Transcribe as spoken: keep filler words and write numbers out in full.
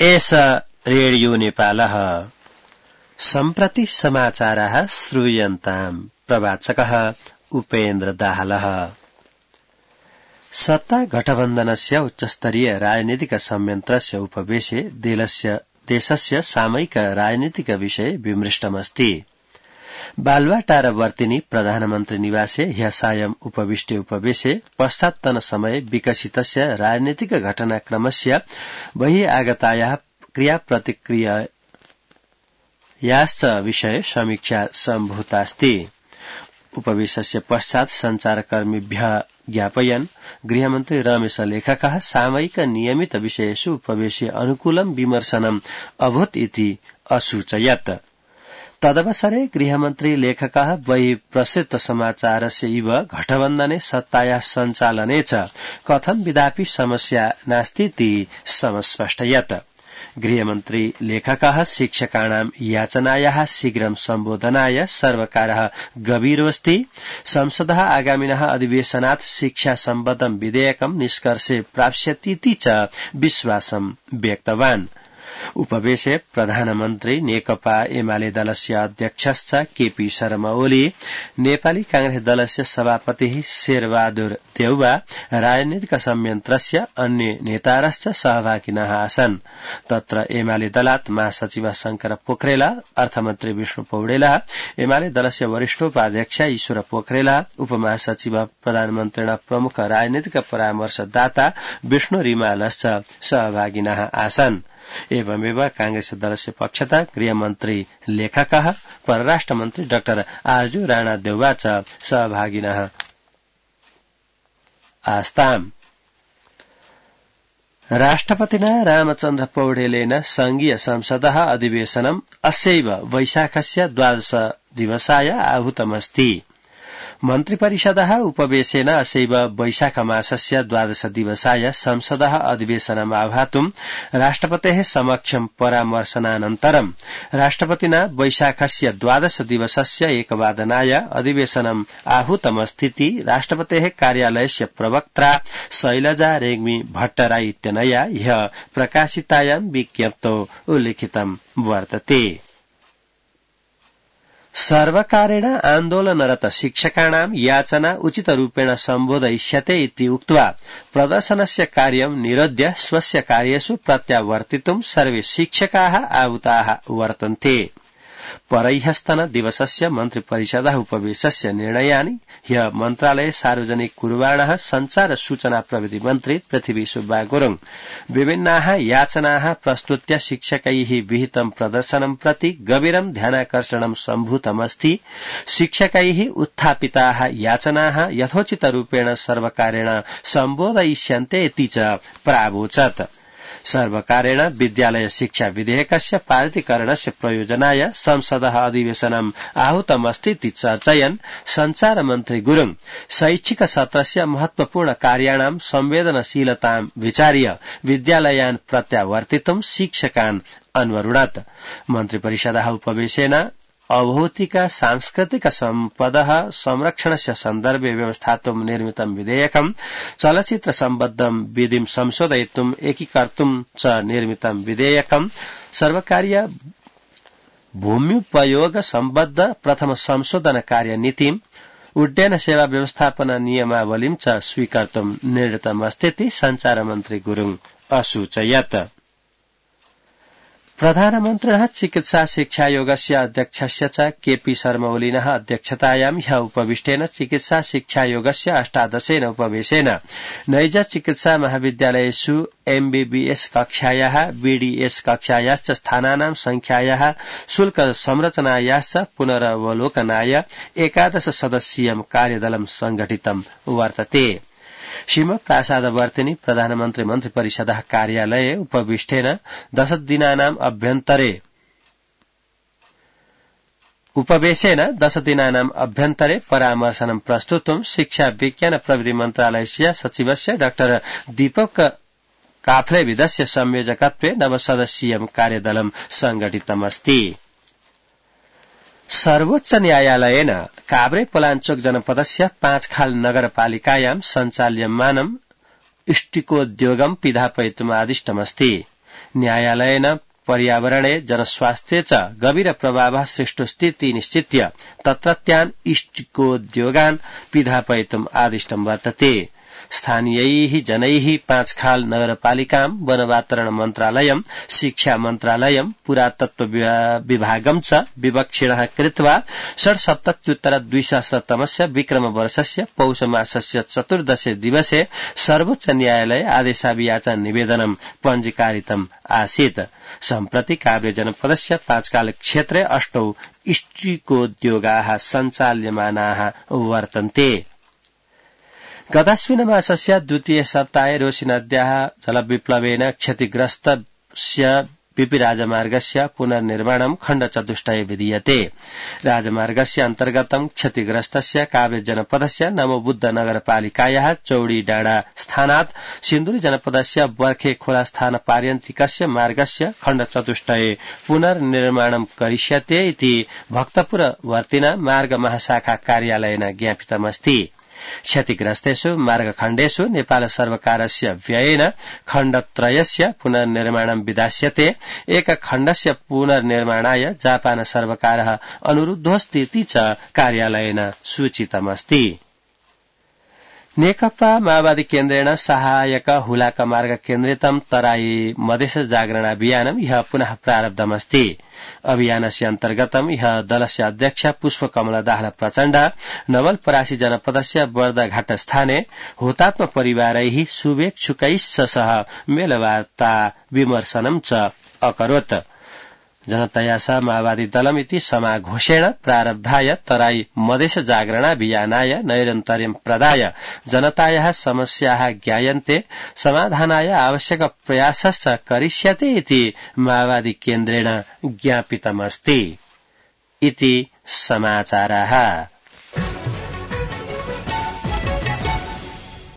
एष रेडियो नेपालः सम्प्रति समाचारः श्रूयन्ताम् प्रवाचकः उपेन्द्र दाहालः। सत्ता गठबन्धनस्य उच्चस्तरीय राजनीतिक संयन्त्रस्य उपवेशे देशस्य सामयिक राजनीतिक विषय विमृष्टमस्ति। बालुवाटारवर्तिनी प्रधानमन्त्री निवासे ह्यः सायं उपविष्टे उपवेशे पश्चात्तन समय विकसितस्य राजनीतिक घटनाक्रमस्य बहिः आगतायाः क्रियाप्रतिक्रियायाश्च विषये समीक्षा सम्भूतास्ति। उपवेशस्य पश्चात् संचारकर्मिभ्यः ज्ञापयन् गृहमन्त्री रमेश लेखकः सामयिक नियमित विषयेषु उपवेशे अनुकूलं विमर्शनम् अभूत् इति असूचयत्। तदवसरे गृहमन्त्री लेखकः बहिः प्रसृत समाचारस्य इव घटबन्धने सत्तायाः सञ्चालने च कथं विधापि समस्या नास्तीति समस्पष्टयत्। गृहमन्त्री लेखकः शिक्षकाणां याचनायाः शीघ्रं सम्बोधनाय सर्वकारः गभीरोऽस्ति। संसदः आगामिनः अधिवेशनात् शिक्षा सम्बद्धं विधेयकं निष्कर्षे प्राप्स्यतीति च विश्वासं व्यक्तवान्। उपवेशे प्रधानमन्त्री नेकपा एमाले दलस्य अध्यक्षश्च केपी शर्मा ओली, नेपाली कांग्रेस दलस्य सभापतिः शेरबहादुर देउवा, राजनीतिक संयन्त्रस्य अन्य नेतारश्च सहभागिनः आसन्। तत्र एमाले दलात् महासचिव शंकर पोखरेल, अर्थमन्त्री विष्णु पौडेल, एमाले दलस्य वरिष्ठोपाध्यक्ष ईश्वर पोखरेल, उपमहासचिव प्रधानमन्त्रिणा प्रमुख राजनीतिक परामर्शदाता विष्णु रिमालश्च सहभागिनः आसन्। एवमेव कांग्रेस दलस्य पक्षतः गृहमन्त्री लेखकः, परराष्ट्रमन्त्री डाक्टर आरजू राणा देउवा च सहभागिनः आस्ताम्। राष्ट्रपतिना रामचन्द्र पौडेलेन संघीय संसदः अधिवेशनम् अस्यैव वैशाखस्य द्वादश दिवसाय आहूतमस्ति। मन्त्रिपरिषदः उपवेशेन अस्यैव वैशाख मासस्य द्वादश दिवसाय संसदः अधिवेशनम् आह्वातुम् राष्ट्रपतेः समक्षं परामर्शनानन्तरं राष्ट्रपतिना वैशाखस्य द्वादश दिवसस्य एकवादनाय अधिवेशनम् आहूतमस्तीति राष्ट्रपतेः कार्यालयस्य प्रवक्त्रा शैलजा रेग्मी भट्टराई इत्यनया ह्यः प्रकाशितायां विज्ञप्तौ उल्लिखितं वर्तते। सर्वकारेण आन्दोलनरत शिक्षकाणां याचना उचितरूपेण सम्बोधयिष्यते इति उक्त्वा प्रदर्शनस्य कार्यं निरोध्य स्वस्य कार्येषु प्रत्यावर्तितुं सर्वे शिक्षकाः आहूताः वर्तन्ते। परह्यस्तन दिवसस्य मन्त्रिपरिषदः उपवेशस्य निर्णयानि ह्यः मन्त्रालये सार्वजनिक कुर्वाणः संचार सूचना प्रविधि मन्त्री पृथ्वी सुब्बा गुरुङ विभिन्नाः याचनाः प्रस्तुत्य शिक्षकैः विहितं प्रदर्शनं प्रति गभीरं ध्यानाकर्षणं सम्भूतमस्ति। शिक्षकैः उत्थापिताः याचनाः यथोचितरूपेण सर्वकारेण सम्बोधयिष्यन्ते इति च प्रावोचत्। सर्वकारेण विद्यालय शिक्षा विधेयकस्य पारितीकरणस्य प्रयोजनाय संसदः अधिवेशनम् आहूतमस्तीति चर्चयन् संचार मन्त्री गुरुङ शैक्षिक सत्रस्य महत्वपूर्ण कार्याणां संवेदनशीलतां विचार्य विद्यालयान् प्रत्यावर्तितुं शिक्षकान् अन्वरुणत्। मन्त्रिपरिषदः उपवेशेन अभौतिक सांस्कृतिक सम्पदः संरक्षणस्य सन्दर्भे व्यवस्थातुं निर्मितं विधेयकं चलचित्र सम्बद्धं विधिं संशोधयितुं एकीकर्तुं च निर्मितं विधेयकं सर्वकारीय भूम्युपयोग सम्बद्ध प्रथम संशोधन कार्यनीतिम् उड्डयन सेवा व्यवस्थापन नियमावलीं च स्वीकर्तुं निर्णीतमस्तीति संचार मन्त्री गुरुङ असूचयत्। प्रधानमन्त्रिणः चिकित्सा शिक्षायोगस्य अध्यक्षस्य च केपी शर्मा ओलिनः अध्यक्षतायां ह्यः उपविष्टेन चिकित्सा शिक्षायोगस्य अष्टादशेन उपवेशेन नैज चिकित्सा महाविद्यालयेषु एमबीबीएस कक्षायाः बीडीएस कक्षायाश्च स्थानानां संख्यायाः शुल्क संरचनायाश्च पुनरवलोकनाय एकादश सदस्यीयं कार्यदलं संघटितं वर्तते। शिवप्रसादवर्तिनी प्रधानमन्त्री मन्त्रिपरिषदः कार्यालये उपविष्टेन दश दिनानाम् अभ्यन्तरे उपवेशेन दश दिनानाम् अभ्यन्तरे परामर्शनं प्रस्तुतुं शिक्षा विज्ञान प्रविधि मन्त्रालयस्य सचिवस्य डाक्टर दीपक काफ्लेविदस्य संयोजकत्वे नवसदस्यीयं कार्यदलं संघटितमस्ति। सर्वोच्च न्यायालयेन काभ्रे पलाञ्चोक जनपदस्य पाँचखाल नगरपालिकायां सञ्चाल्यमानम् इष्टिकोद्योगं पिधापयितुम् आदिष्टमस्ति। न्यायालयेन पर्यावरणे जनस्वास्थ्ये च गभीर प्रभावः सृष्टुस्थिति निश्चित्य तत्रत्यान् इष्टिकोद्योगान् पिधापयितुम् आदिष्टं वर्तते। स्थानीयैः जनैः पाँचखाल नगरपालिकां वनवातावरण मन्त्रालयं शिक्षा मन्त्रालयं पुरातत्व विभागं च विवक्षिणः कृत्वा षड्सप्तत्युत्तर द्विसहस्रतमस्य विक्रमवर्षस्य पौषमासस्य चतुर्दशे दिवसे सर्वोच्च न्यायालये आदेशाभियाचना निवेदनं पञ्जीकारितम् आसीत्। सम्प्रति काभ्रे जनपदस्य पाँचखाल क्षेत्रे अष्टौ इष्टिकोद्योगाः सञ्चाल्यमानाः वर्तन्ते। गताश्विन मासस्य द्वितीय सप्ताहे रोशी नद्याः जलविप्लवेन क्षतिग्रस्तस्य बीपी राजमार्गस्य पुनर्निर्माणं खण्डचतुष्टये विधीयते। राजमार्गस्य अन्तर्गतं क्षतिग्रस्तस्य काभ्रे जनपदस्य नमोबुद्ध नगरपालिकायाः चौडी डाँडा स्थानात् सिन्धुली जनपदस्य बर्खे खोला स्थान पार्यन्तिकस्य मार्गस्य खण्डचतुष्टये पुनर्निर्माणं करिष्यते इति भक्तपुरवर्तिना मार्ग महाशाखा कार्यालयेन ज्ञापितमस्ति। क्षतिग्रस्तेषु मार्गखण्डेषु नेपाल सर्वकारस्य व्ययेन खण्डत्रयस्य पुनर्निर्माणं विधास्यते। एक खण्डस्य पुनर्निर्माणाय जापान सर्वकारः अनुरुद्धोऽस्तीति च कार्यालयेन सूचितमस्ति। नेकपा माओवादी केन्द्रेण सहायक हुलाक मार्ग केन्द्रितं तराई मधेस जागरण अभियानं ह्यः पुनः प्रारब्धमस्ति। अभियानस्य अन्तर्गतं ह्यः दलस्य अध्यक्ष पुष्पकमल दाहाल प्रचण्ड नवलपरासी जनपदस्य बर्दाघाट स्थाने हुतात्म परिवारैः शुभेच्छुकैश्च सह मेलवार्ता विमर्शनं च अकरोत्। जनताया सह माओवादी दलमिति समाघोषेण प्रारब्धाय तराई मधेस जागरणाभियानाय नैरन्तर्यं प्रदाय जनतायाः समस्याः ज्ञायन्ते समाधानाय आवश्यक प्रयासश्च करिष्यते इति माओवादी केन्द्रेण ज्ञापितमस्ति। इति समाचाराः।